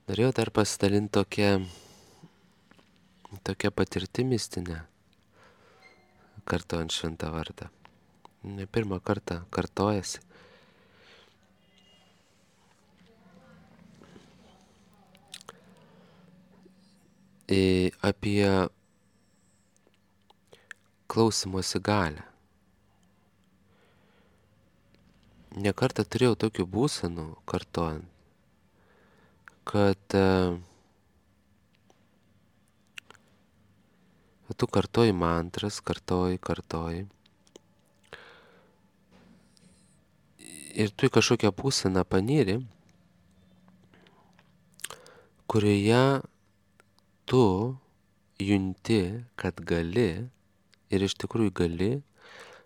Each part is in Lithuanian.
Norėjau dar pasidalinti tokia patirtimi mistinė, kartojant šventą vardą. Ne pirmą kartą kartojasi. Apie klausimosi galę. Ne kartą turėjau tokių būsenų kartojant, kad tu kartoji mantras, kartoji. Ir tu į kažkokią būseną panyri, kurioje tu junti, kad gali ir iš tikrųjų gali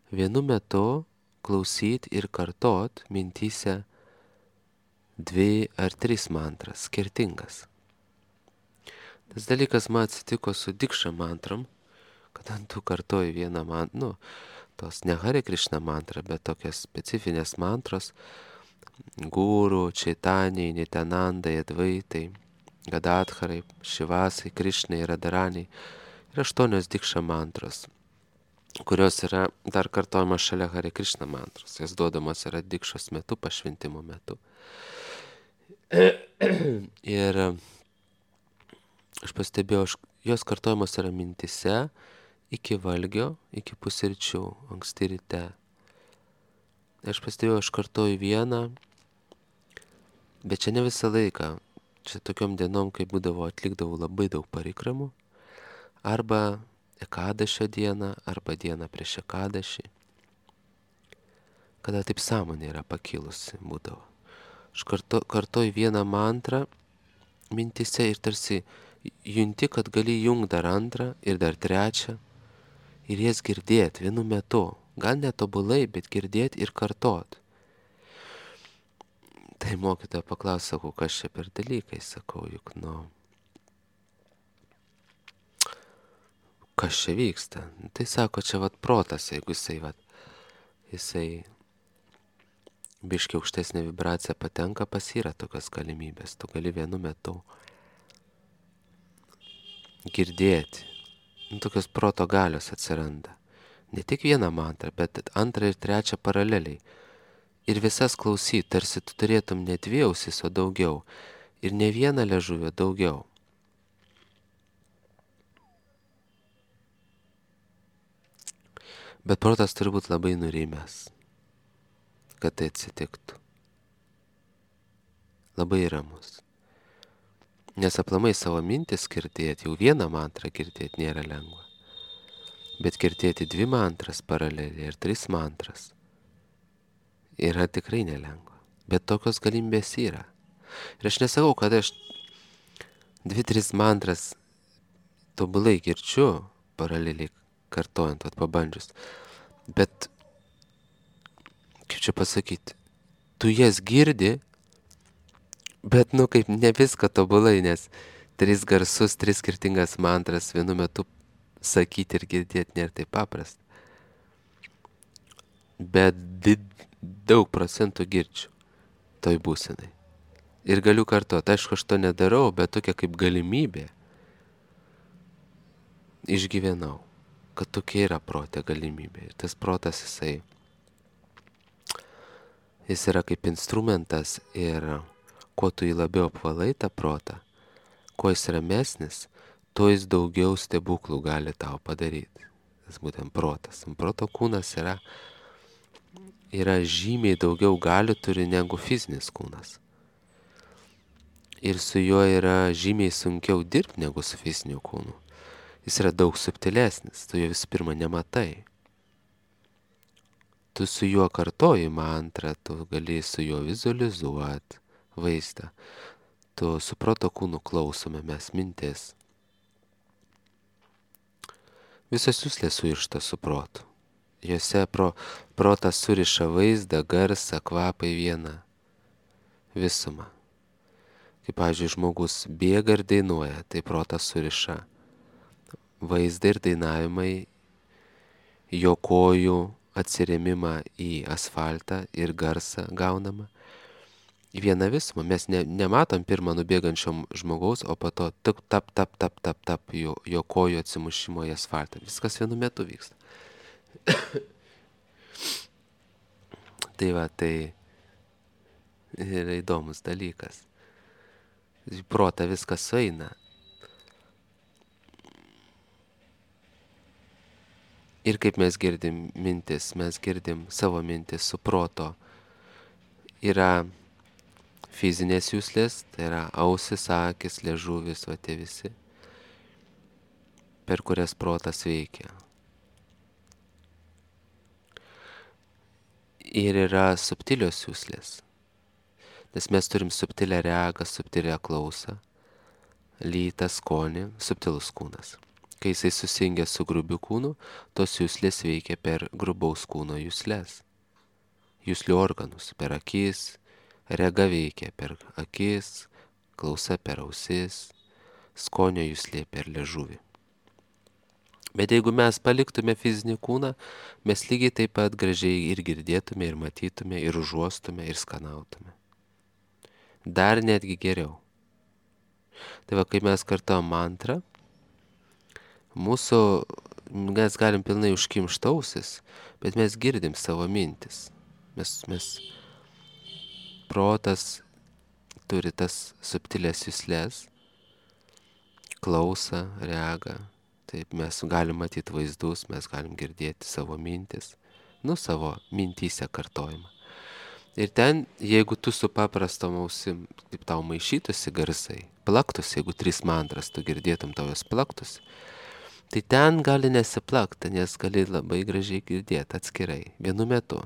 vienu metu klausyti ir kartot mintyse 2 ar 3 mantras skirtingas. Tas dalykas man atsitiko su dikša mantrom, kada tu kartoji vieną mantrą, tos ne Hare Krishna mantra, bet tokias specifinės mantros, Guru, Čaitanijai, Nityanandai, Advaitai, Gadadharai, Šivasai, Krišnai, Radharaniai ir 8 dikša mantros, kurios yra dar kartojamos šalia Hare Krishna mantros. Jas duodamos yra dikšos metu, pašventimo metu. Ir aš pastebėjau, jos kartojamos yra mintise iki valgio, iki pusryčių, anksti ryte. Aš pastebėjau, aš kartoju vieną, bet čia ne visą laiką. Čia tokiom dienom, kai būdavo, atlikdavau labai daug parikramų, arba ekadašio dieną, arba dieną prieš ekadašį, kada taip sąmonė yra pakilusi būdavo. Aš kartoju vieną mantrą mintise ir tarsi junti, kad gali jungt dar antrą ir dar trečią ir jas girdėti vienu metu. Gal netobulai, bet girdėti ir kartot. Tai mokytoja paklaus, sakau, kas čia per dalykai, sakau, juk kas čia vyksta. Tai sako, čia protas, jeigu jisai biškiai aukštesnė vibracija patenka, pas yra tokios galimybės. Tu gali vienu metu girdėti. Tokios proto galios atsiranda. Ne tik vieną mantrą, bet antrą ir trečią paraleliai. Ir visas klausyti, tarsi tu turėtum ne 2 ausis, o daugiau. Ir ne vieną liežuvį, daugiau. Bet protas turi būti labai nurimęs, kad tai atsitiktų. Labai ramus. Nes aplamai savo mintis girdėti, jau vieną mantrą girdėti nėra lengva. Bet girdėti 2 mantras paraleliai ir 3 mantras yra tikrai nelengva. Bet tokios galimybės yra. Ir aš nesakau, kad aš 2-3 mantras tobulai girdžiu, paraleliai kartojant, pabandžius. Bet, kaip čia pasakyti, tu jas girdi, bet kaip ne viską tobulai, nes 3 garsus, 3 skirtingas mantras vienu metu sakyti ir girdėti nėra taip paprasta. Bet daug procentų girdžiu toj būsenai. Ir galiu kartuoti, aišku, aš to nedarau, bet tokia kaip galimybė išgyvenau, kad tokia yra prote galimybė. Ir tas protas jis yra kaip instrumentas ir kuo tu jį labiau apvalai tą protą, kuo jis ramesnis, tuo jis daugiau stebuklų gali tau padaryti. Tas būtent protas. Proto kūnas yra žymiai daugiau galių turi negu fizinis kūnas. Ir su juo yra žymiai sunkiau dirbti negu su fiziniu kūnu. Jis yra daug subtilesnis, tu jo visų pirma nematai. Tu su juo kartoji mantrą, tu gali su juo vizualizuoti vaizdą. Tu su proto kūnu klausome mes mintis. Visos juslės surišta su protu. Jose protas suriša vaizdą, garsą, kvapą į vieną visumą. Kaip, pavyzdžiui, žmogus bėga ir dainuoja, tai protas suriša vaizdą ir dainavimai, jo kojų atsirėmimą į asfaltą ir garsą gaunamą. vieną visumą. Mes nematom pirmą nubėgančiom žmogaus, o po to tap, jo kojų atsimušimo į asfaltą. Viskas vienu metu vyksta. Tai va, tai yra įdomus dalykas. Į protą viskas sueina. Ir kaip mes girdim mintis, mes girdim savo mintis su proto. Yra fizinės jūslės, tai yra ausis, akis, liežuvis, va tie visi, per kurias protas veikia. Ir yra subtilios jūslės, nes mes turim subtilę regą, subtilę klausą, lytą, skonį, subtilus kūnas. Kai jisai susijungia su grubiu kūnu, tos jūslės veikia per grubaus kūno jūslės. Jūslių organus per akis, rega veikia per akis, klausa per ausis, skonio jūslė per liežuvį. Bet jeigu mes paliktume fizinį kūną, mes lygiai taip pat gražiai ir girdėtume, ir matytume, ir užuostume, ir skanautume. Dar netgi geriau. Tai va, kai mes kartuojam mantrą, mes galim pilnai užkimšt ausis, bet mes girdim savo mintis. Mes protas turi tas subtilės juslės, klausą, regą. Taip, mes galim matyti vaizdus, mes galim girdėti savo mintis, savo mintyse kartojimą. Ir ten, jeigu tu su paprastom ausim, kaip tau maišytųsi garsai, plaktųsi, jeigu 3 mantras tu girdėtum tau jos plaktųsi, tai ten gali nesiplakti, nes gali labai gražiai girdėti atskirai, vienu metu.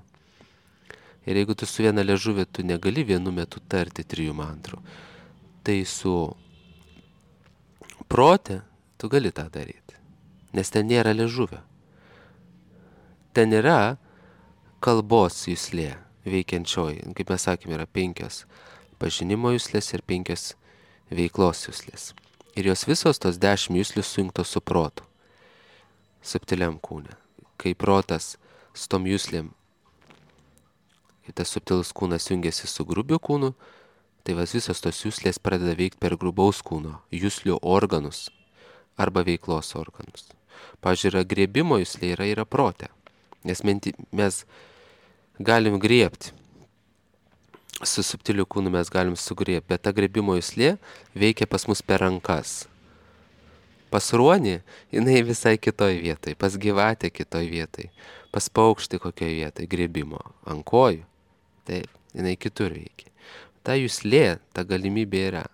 Ir jeigu tu su viena liežuvė, tu negali vienu metu tarti 3 mantrų, tai su prote tu gali tą daryti, nes ten nėra liežuvio. Ten yra kalbos juslė veikiančioji, kaip mes sakėme, yra 5 pažinimo juslės ir 5 veiklos juslės. Ir jos visos tos 10 juslių sujungtos su protu, subtiliam kūne. Kai protas su tom juslėm, kai tas subtilus kūnas jungiasi su grubiu kūnu, tai visos tos juslės pradeda veikti per grubaus kūno juslių organus arba veiklos organus. Pavyzdžiui, yra griebimo juslė, yra prote, nes mes galim griebti. Su subtiliu kūnu mes galim sugriebti, bet ta griebimo juslė veikia pas mus per rankas. Pas ruonį jinai visai kitoj vietoj, pas gyvatę kitoj vietoj, pas paukštį kokioj vietoj griebimo, ant kojų. Taip, jinai kitur veikia. Ta juslė, ta galimybė yra.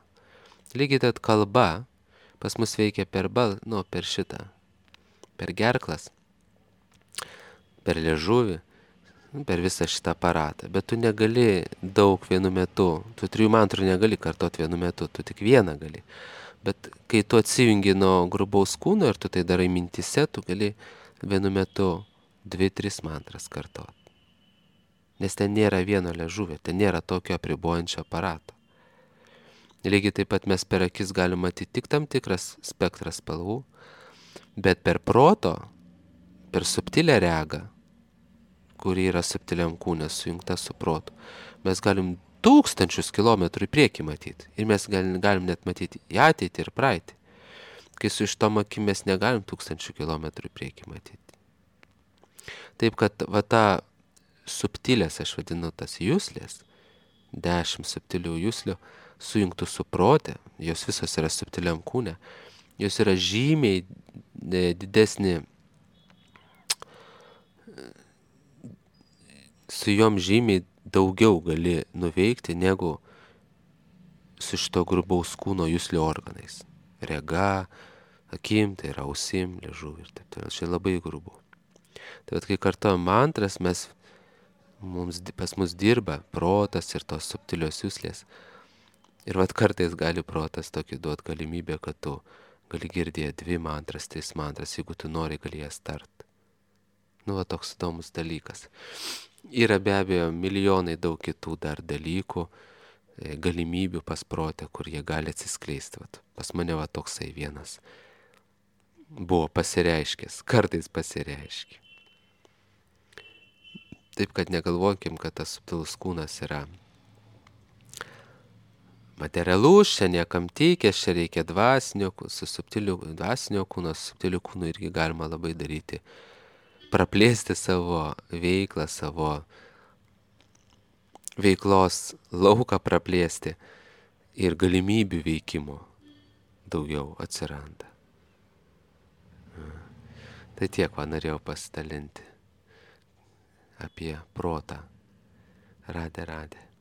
Lygiai tad kalba pas mus veikia per šitą, per gerklas, per liežuvį, per visą šitą aparatą. Bet tu negali daug vienu metu, tu 3 mantrų negali kartot vienu metu, tu tik vieną gali. Bet kai tu atsijungi nuo grubaus kūno ir tu tai darai mintise, tu gali vienu metu 2-3 mantras kartot. Nes ten nėra vieno liežuvio, ten nėra tokio apribojančio aparato. Lygiai taip pat mes per akis galim matyti tik tam tikras spektras spalvų, bet per proto, per subtilę regą, kuri yra subtiliam kūne sujungta su protu, mes galim 1000 kilometrų į priekį matyti. Ir mes galim net matyti į ateitį ir praeitį. Kai su ištom akim mes negalim 1000 kilometrų į priekį matyti. Taip kad va ta subtilės, aš vadinu tas juslės, 10 subtilių juslių, sujungtų su prote, jos visos yra subtiliam kūne, jos yra žymiai didesnė, su jom žymiai daugiau gali nuveikti negu su šito grubaus kūno juslių organais. Rega, akim, tai yra ausim, liežuviu ir taip toliau. Čia labai grubu. Tai vat, kai kartuojam mantras, pas mus dirba protas ir tos subtilios juslės. Ir vat kartais gali protas tokį duot galimybę, kad tu gali girdėti 2 mantras, 3 mantras, jeigu tu nori, gali jas tart. Va toks įdomus dalykas. Yra be abejo milijonai daug kitų dar dalykų, galimybių pas protę, kur jie gali atsiskleisti. Vat, pas mane va toksai vienas buvo pasireiškęs, kartais pasireiškia. Taip, kad negalvokim, kad tas subtilus kūnas yra materialus, čia niekam tikęs, čia reikia dvasinio, su subtiliu dvasinio kūno, su subtiliu kūnu irgi galima labai daryti. Praplėsti savo veiklą, savo veiklos lauką praplėsti ir galimybių veikimo daugiau atsiranda. Tai tiek norėjau pasidalinti apie protą. Radė.